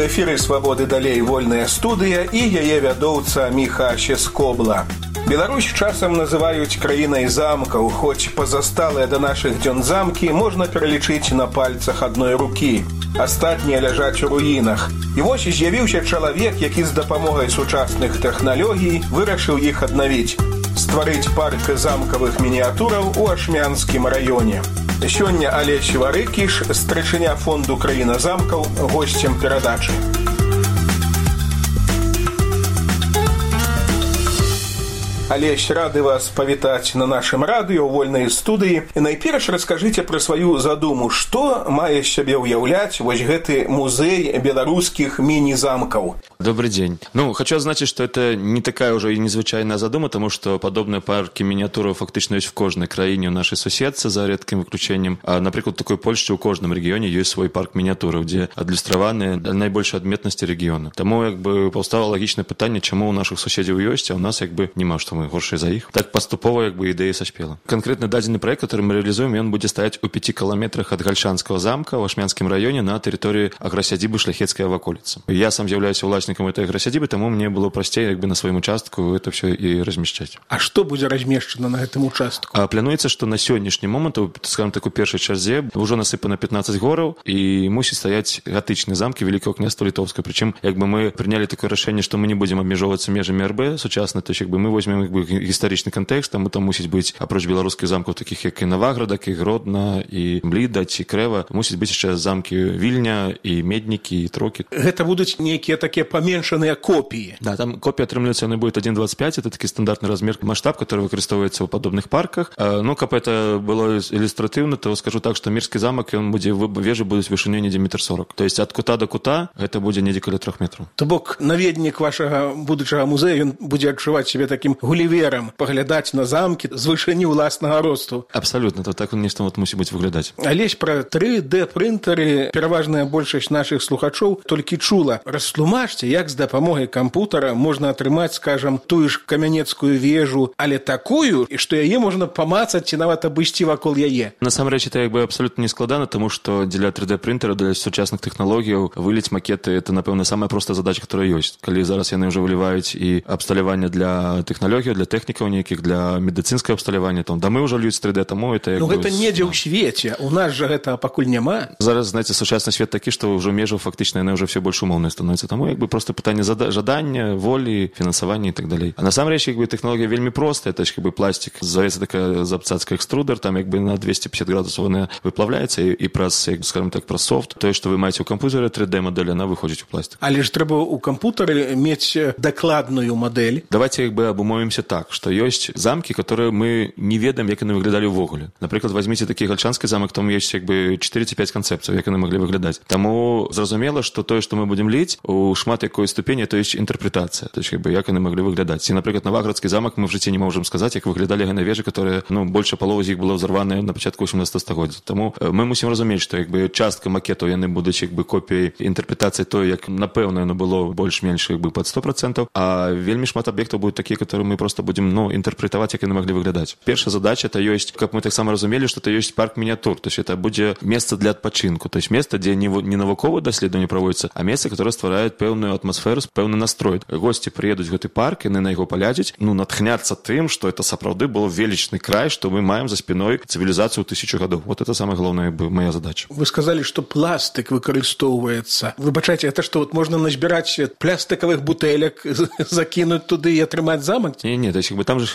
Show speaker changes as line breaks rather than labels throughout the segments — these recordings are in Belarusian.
эфіры «Свабоды далей» вольная студыя і яе вядоўца Міха Сескобла. Беларусь часам называюць краінай замкаў, хоць пазасталыя да нашых дзён замкі можна пералічыць на пальцах адной рукі. Астатнія ляжаць у руінах. І вось з'явіўся чалавек, які з дапамогай сучасных тэхналогій вырашыў іх аднавіць. Стварыць парк замкавых мініятураў у Ашмянскім раёне. Сёння Алесь Варыкіш, старшыня фонду «Краіна замкаў», госцем перадачы. Алесь, рады вас павітаць на нашым радыё ў вольнай студыі. І найперш раскажыце пра сваю задуму, што мае сябе ўяўляць вось гэты музей беларускіх міні-замкаў.
Добрый день. Хочу отзначить, что это не такая уже и незвычайная задума, потому что подобные парки миниатюры фактично есть в кожной краине у нашей соседцы, за редким выключением. А, например, в такой Польше у кожном регионе есть свой парк миниатюры, где адлюстраваны наибольшие адметности региона. Тому повстало логичное питание, чему у наших соседей есть, а у нас нема, что мы горшие за их. Так поступово идея соспела. Конкретно даденный проект, который мы реализуем, он будет стоять у 5 километрах от Гальшанского замка в Ашмянском районе на территории агросядибы Шляхетская околица. Я сам являюсь властником этой агросядибы, тому мне было простее на своем участку это все и размещать.
А что будет размещено на этом участку?
Плануется, что на сегодняшний момент, скажем так, у первой черзе уже насыпано 15 горов и мусит стоять готичные замки Великого княжества Литовского. Причем, мы приняли такое решение, что мы не будем обмежевываться межами РБ сучасно, то есть, мы возьмем историчный контекст, там мусит быть, опроч белорусских замков, таких как и Новограда, и Гродно, и Мліда, и Крева, мусит быть сейчас замки Вильня, и Медники, и Троки.
Это будут некие такие поменьшенные копии.
Да, там копия отрымливается, она будет 1,25, это такой стандартный размер, масштаб, который выкористовывается в подобных парках. Как это было иллюстративно, то скажу так, что Мирский замок, он будет, вежи будут вышиною не 1,40 м. То есть от кута до кута это будет не каля 3 метров.
То бок наведник вашего будущего музея, он будет отчувать себя таким гулливером, поглядать на замки з вышыні ўласнага росту.
Абсолютно, то так он нешта мусіць быць выглядаць.
Алесь, пра 3D-прынтары пераважная большасць нашых слухачоў толькі чула. Растлумачце, як з дапамогай кампутара можна атрымаць, скажам, тую ж камянецкую вежу, але такую, што яе можна памацаць ці нават абысці вакол яе.
Насамрэч, это абсолютно не складана, тому што для 3D-прынтера, для сучасных тэхналогій выліць макеты, это, напэўна, самая простая задача, которая ёсць. Калі зараз яны ўжо выліваюць і абсталяванне для тэхналогій, для тэхнікаў нейкіх, для медыцынскага абсталявання, там дамы ўжо льюць 3D, таму это
гэта недзе ў свеце, у нас жа гэта пакуль няма.
Зараз, знаете, сучасны свет такі, што ўжо межы фактычна яны ўжо все больш умоўныя становяцца, таму просто пытанне жадання, волі, фінансавання і так далей. А насамрэч тэхналогія вельмі простая, это пластик, зовецца такая запцацка экструдер, там на 250 градусаў она выплавляецца і праз, скажем так, праз софт, тое, што вы маеце ў камп'ютары 3D-мадэль, она выходзіць у пластик.
Але ж трэба ў камп'ютары мець дакладную мадэль.
Давайте абумовімся так, што ёсць замкі, которые мы не ведаем, як яны выглядалі ўвогуле. Напрыклад, возьмите такі Гальшанскі замак, там ёсць 4 ці 5 канцэпцый, як яны маглі выглядаць. Таму зразумела, што тое, што мы будем ліць, у шмат якой ступені, то ёсць інтэрпрэтацыя, то есть як яны маглі выглядаць. І, напрыклад, Новоградскі замак мы в жыцці не можам сказаць, як выглядалі яны вежы, которые, больше паловы з іх было ўзарваныя на пачатку 18 стагоддзя. Таму мы мусім разумець, што частка макетаў яны будуць копіяй інтэрпрэтацыі той, як напэўна яно было больш-менш пад 100%, а вельмі шмат аб'ектаў будуць такія, которые мы просто будем интерпретовать, як яны маглі выглядаць. Першая задача это ёсць, каб мы таксама разумелі, што это ёсць парк мініятюр, то есть это будзе месца для адпачынку, то есть место, дзе не навуковыя даследаванні праводзяцца, а место, которое стварае пэўную атмасферу, пэўны настрой. Госці прыедуць гэты парк, яны на яго паглядзяць, натхняцца тым, што это сапраўды был величны край, што мы маем за спиной цывілізацыю 1000 гадоў. Вот это самая главная моя задача.
Вы сказали, что пластик выкарыстоўваецца. Выбачайце, это что, можно назбіраць пластиковых бутэлек, закинуть туды и атрымаць замак?
Не, то есть там же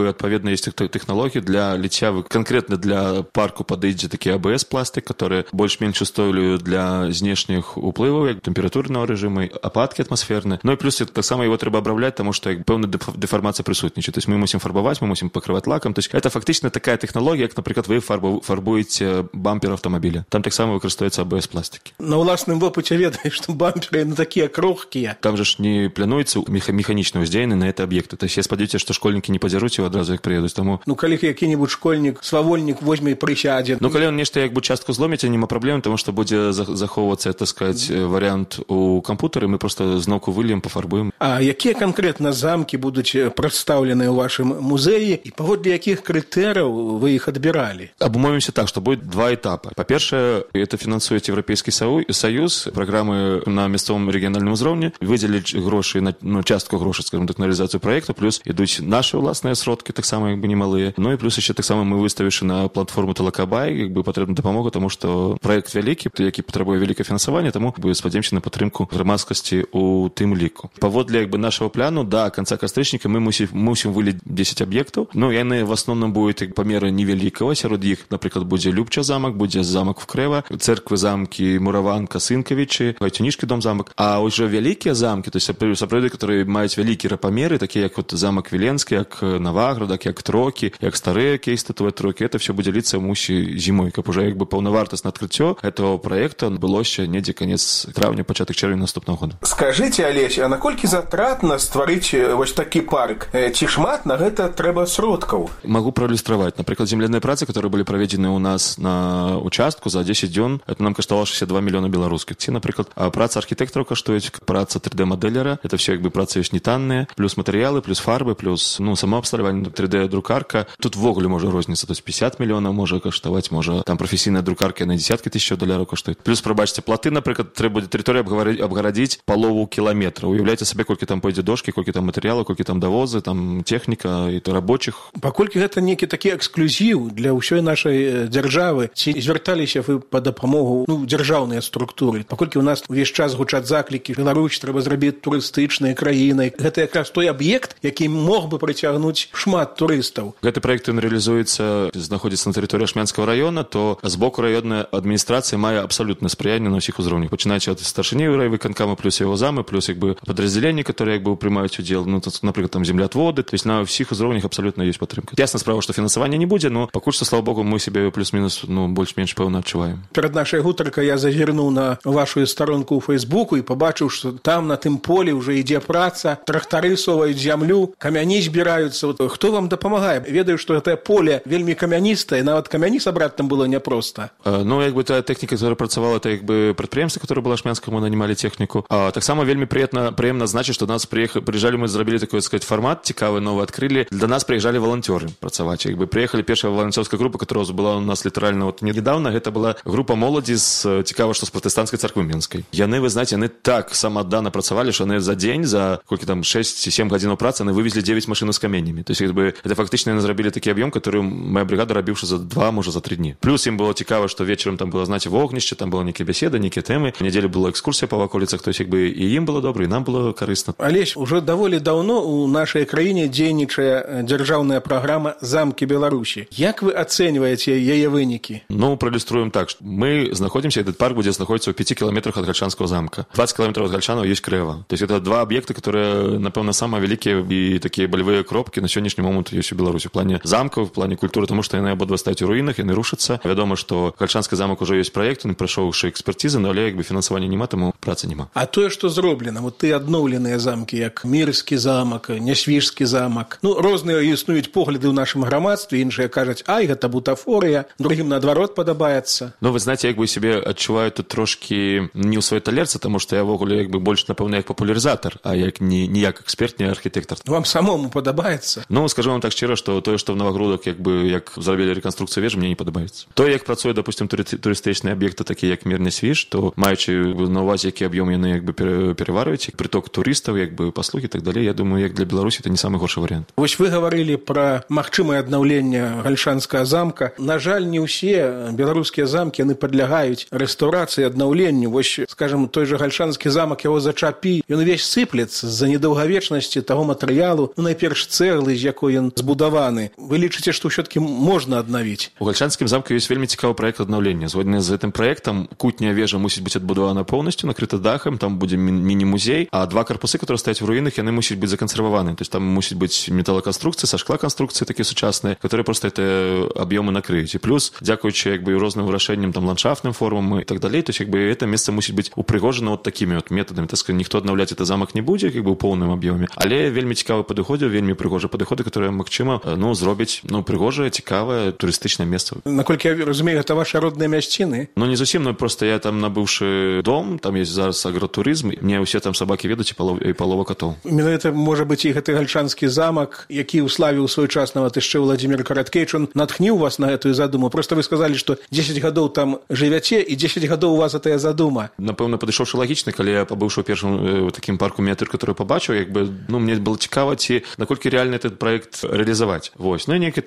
адпаведна есть технологии для ліцця, конкретно для парку падыдзе такі АБС пластик, который больш-менш устойлівы для знешніх уплываў, як тэмпературнага рэжыму, ападкі атмасферныя. Ну і плюс таксама его трэба абрабляць, таму што пэўная дэфармацыя прысутнічае. То есть мы мусім фарбаваць, мы мусім пакрываць лакам. То есть это фактычна такая тэхналогія, як, напрыклад, вы фарбуеце бампер аўтамабіля. Там таксама выкарыстоўваецца АБС пластики.
На ўласным вопыце ведаеш, што бамперы такія крохкія.
Там же ж не плануецца механічна ўздзеянны на это аб'екты. То есть я спадзяюся, спадзяюся, што школьнікі не падзяруць і адразу як прыедуць. Таму
калі які-небудзь школьнік свавольнік возьме і прысядзе.
Калі ён нешта як бы частку зломіць, няма праблем, таму што будзе захоўвацца, так сказаць, варыянт у кампутары, мы проста зноўку выльем, пафарбуем.
А якія канкрэтна замкі будуць прадстаўленыя ў вашым музеі і паводле якіх крытэрыяў вы іх адбіралі?
Абумовімся так, што будет два этапа. Па-першае, это фінансуюць Еўрапейскі Саюз, праграмы на мясцовым рэгіянальным узроўні, выдзеліць грошы, частку грошай, скажем так, на рэалізацыю праекта, плюс ідуць нашы ўласныя сродкі, таксама як бы немалыя. Ну і плюс яшчэ таксама мы выставішы на платформу Талакабай, як бы патрэбна дапамога, таму што праект вялікі, які патрабуе вялікае фінансаванне, таму спадзяёмся на падтрымку грамадскасці ў тым ліку. Паводле як бы нашага плану, да канца кастрычніка мы мусім выліць 10 аб'ектаў. Яны в асноўным будуць памеры невялікага, сярод іх, напрыклад, будзе Любча замак, будзе замак Вкрэва, церквы, замкі Мураванка, Сынкавічы, Гайцюнішкі дом-замак. А ўжо вялікія замкі, то есть сапраўды, которые маюць вялікія памеры, такія як замак Віленскі, як Наваградак, як Трокі, як старыя кейстатуэ Трокі, это все будзе ліцца мусі зімой, каб уже як бы паўнавартаснае адкрыццё этого проекта адбылося недзе канец траўня, пачатак чэрвеня наступнага года.
Скажыце, Алесь, а наколькі затратна стварыць вось такі парк? Ці шмат на гэта трэба сродкаў?
Могу проиллюстровать. Например, земляныя працы, которые были проведены у нас на участку за 10 дзён, это нам каштавало 62 миллиона белорусских. Ці, например, праца архитекторов каштуюць, праца 3D-модельера, это все как бы працы ёсць не танныя, плюс материалы, плюс фарбы, плюс, само абсталяванне, 3D-друкарка. Тут ввогуле можа розніцца, то есть 50 миллионов можа каштаваць, можа там професійная друкарка на десятки тысяч долларов каштуюць. Плюс, пробачце, платы, например, трэба будзе тэрыторыю абгарадзіць полову кіламетра. Уяўляйце сабе, колькі там пойдзе дошкі, колькі там матэрыялаў, колькі там давозы, там техніка і то рабочих.
Паколькі гэта некі такі эксклюзіў для ўсёй нашай дзяржавы, ці звярталіся вы па дапамогу дзяржаўныя структуры? Паколькі у нас увесь час гучаць заклікі, Беларусь трэба зрабіць турыстычнай краінай. Гэта якраз той аб'ект, які мог бы прыцягнуць шмат турыстаў.
Гэты праект ён рэалізуецца, знаходзіцца на тэрыторыі Ашмянскага района, то з боку раённая адміністрацыя мае абсалютнае спрыянне на ўсіх узроўнях, пачынаючы ад старшыні райвыканкама, плюс яго замы, плюс як бы падраздзяленні, которые як бы прымаюць удзел, напрыклад, там землеотводы, то есть на ўсіх узроўнях абсалютна ёсць падтрымка. Ясна справа, што фінансавання не будзе, но пакуль што, слава богу, мы сябе плюс-мінус больш-менш пэўна адчуваем.
Перад нашай гутаркай я зазірнуў на вашу старонку ў Фейсбуку і пабачыў, што там на тым полі ўжо ідзе праца, трактары соваюць зямлю, камяні збіраюцца. Хто вам дапамагае? Ведаю, што гэтае поле вельмі камяністае, нават камяні сабраць там было няпроста.
Як бы тая тэхніка, которая працавала, это як бы прадпрыемства, которое было Ашмянское, мы нанимали технику. Таксама вельмі прыемна значыць, што до нас прыязджалі, мы зрабілі такой, сказать, формат цікавы, новы адкрылі. Для нас прыязджалі валанцёры працаваць. Як бы прыехалі першая валанцёрская група, которая была у нас літаральна недавно, гэта была група моладзі цікава, што з пратэстанцкай царквы Менскай. Яны, вы знаете, яны так самааддана працавалі, што яны за дзень, за колькі там 6-7 гадзінаў працы, яны вывезлі 9 машин з каменямі. То есть як бы это фактычна яны зрабілі такі аб'ём, который моя бригада рабіўшы за 2, можа за 3 дні. Плюс ім было цікава, што вечарам там было, знаете, вогнішча, там было нейкія беседы, нейкія тэмы. В нядзелю была экскурсія па ваколіцах, то есть як бы і ім было добра, і нам было карысна.
Алесь, уже даволі даўно у нашай краіне дзейнічае дзяржаўная праграма «Замкі Беларусі». Як вы ацэньваеце яе вынікі?
Проиллюструем так, что мы знаходимся, этот парк будет находиться в 5 километрах от Гальчанского замка. 20 километров от Гальчанова есть Крэва. То есть это два объекта, которые, напевно, самые великие и такие болевые кропки на сегодняшний момент есть у Беларуси. В плане замков, в плане культуры, потому что они обидва стоят у руинах, они рушатся. Вядомо, что Гальчанский замок уже есть проект, он прошел уже экспертизы, но як бы финансования нема, тому працы нема.
А тое, што зроблена, вот ты адноўленыя замкі, як Мірскі замак, Нясвіжскі замак. Розныя існуюць погляды ў нашым грамадстве, іншыя кажуць, ай, гэта бутафорыя, другім наадварот падабаецца.
Вы знаете, як бы себе адчуваю тут трошки не ў сваёй талерцы, тому што я ввогуле як бы больш, напэўна, як папулярызатар, а як не як эксперт, не архітэктар.
Вам самому падабаецца?
Скажу вам так шчыра, што тое, што в Новагрудах як зрабілі рэканструкцыю вежы, мне не падабаецца. Тое, як працуе, допустим, турыстычныя аб'екты, такія як Мір Нясвіж, то маючы на ўвазе, які аб'ём яны як бы пераварваюць, прыток турыстаў, як бы паслугі і так далей, я думаю, як для Беларусі это не самы горшы варыянт.
Вось вы гаварылі пра магчымае аднаўленне Гальчанскага замка. На жаль, не ўсе беларускія замкі яны падлягаюць рэстаўрацыі, аднаўленню. Вось, скажем, той же Гальчанскі замак, яго зачапі, ён увесь сыплецца з-за недаўгавечнасці таго матэрыялу, найперш цэглы, з якой ён збудаваны. Вы лічыце, што ўсё-такі можна аднавіць?
У Гальчанскім замку ёсць вельмі цікавы праект аднаўлення. Згодна з гэтым праектам кутняя вежа мусіць быць адбудавана поўнасцю, накрыта дахам, там будзе міні-музей, а два карпусы, которые стаяць у руінах, яны мусяць быць закансерваваны. То есть там мусіць быць металлоконструкцыі, са шклаконструкцыі такія сучасныя, которые просто это аб'ёмы накрыюць. І плюс, дзякуючы як бы розным вырашэнням там ландшафтным формам і так далей, то есть як бы это месца мусіць быць упрыгожана вот такими вот методами. Так сказать, ніхто аднаўляць это замак не будзе, як бы ў поўным аб'ёме, але вельмі цікавы падыходзяў, вельмі прыгожыя падыходы, которые, магчыма, зробяць, прыгожае, цікавае турыстычнае месца.
Наколькі я разумею, гэта ваши родныя мясціны?
Не зусім, просто я там набыўшы дом, там есть зараз агратурызм, мне ўсе там сабакі ведаюць і палова катоў.
Менавіта, можа быць, і гэты гальчанскі замак, які уславіў свой час нават яшчэ Владзімір Караткевіч, он натхніў вас на гэтую задуму. Просто вы сказалі, што 10 гадоў там жывяце, і 10 гадоў у вас гэтая задума.
Напэўна, падышоўшы лагічна, калі я пабыўшы ў першым такім парку мініятюр, который пабачыў, мне было цікава, ці наколькі реальна этот проект реалізаваць. Вось. І нейкая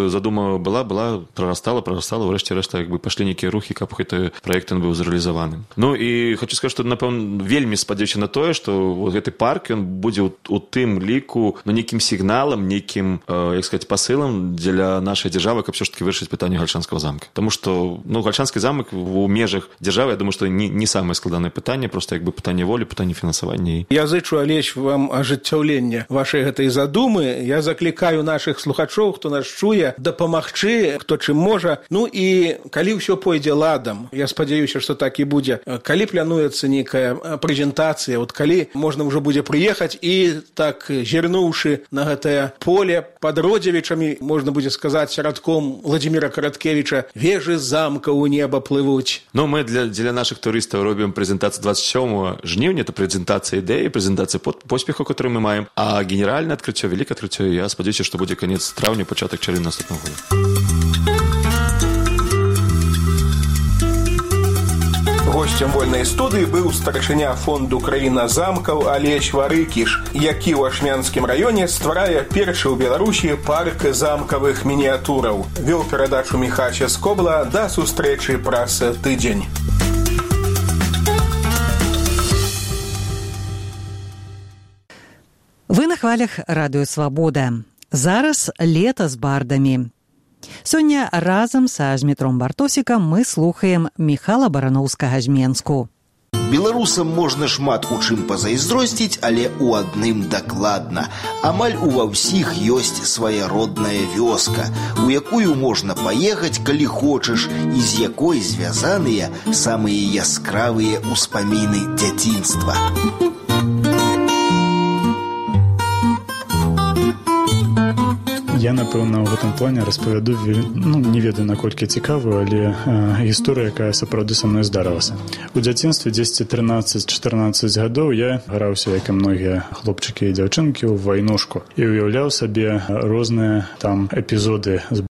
задума была, прарастала, ўрэшце рэшта пашлі нейкія рухі, каб гэты проект быў зрэалізаваны. І хочу сказаць, што, напэўна, вельмі спадзяюся на тое, што гэты парк, ён будзе у тым ліку, нейкім сігналам, нейкім, як сказаць, пасылам для нашай дзяржавы, каб все ж таки вырашыць пытанне гальчанскага замка. Таму што, гальчанскі замак у межах дзяржавы, я думаю, што не самае складанае пытанне, просто пытанне волі, пытанне фінансавання.
Я зычу, Алесь, вам ажыццяўлення вашай гэтай задумы. Я заклікаю нашых слухачоў, хто нас чуе, дапамагчы, хто чым можа. І калі ўсё пойдзе ладам, я спадзяюся, што так і будзе. Калі плануецца нейкая прэзентацыя, калі можна ўжо будзе прыехаць і так, зірнуўшы на гэтае поле пад Родзевічамі, можна будзе сказаць радком Владзіміра Караткевіча, вежы замка ў неба плывуць.
Мы для нашых турыстаў робім прэзентацыю 27 жніўня, это прэзентацыя ідэі, прэзентацыя поспеху, который мы маем, а генеральнае адкрыццё, вялікае адкрыццё, я спадзяюся, што будзе канец траўня, пачатак чэрвеня наступнага года.
Гостем вольнай студыі быў старшыня фонду «Краіна замкаў» Алесь Варыкіш, які ў Ашмянскім раёне стварае першы ў Беларусі парк замкавых мініятураў. Вёў перадачу Міха Ческобла. Да сустрэчы праз тыдзень.
Вы на хвалях радыё «Свабода». Зараз лета з бардамі. Сёння разам са Змітром Бартосікам мы слухаем Міхала Бараноўскага з Менску.
Беларусам можна шмат у чым пазайздросціць, але ў адным дакладна. Амаль ува ўсіх ёсць свая родная вёска, у якую можна паехаць, калі хочаш, і з якой звязаныя самыя яскравыя ўспаміны дзяцінства.
Я, напэўна, ў гэтым плане распавяду, не ведаю, наколькі цікавую, але гісторыя, якая сапраўды са мной здарылася. У дзяцінстве 10-13-14 гадоў я граўся, як і многія хлопчыкі і дзяўчынкі, у вайнушку і ўяўляў сабе розныя там эпізоды з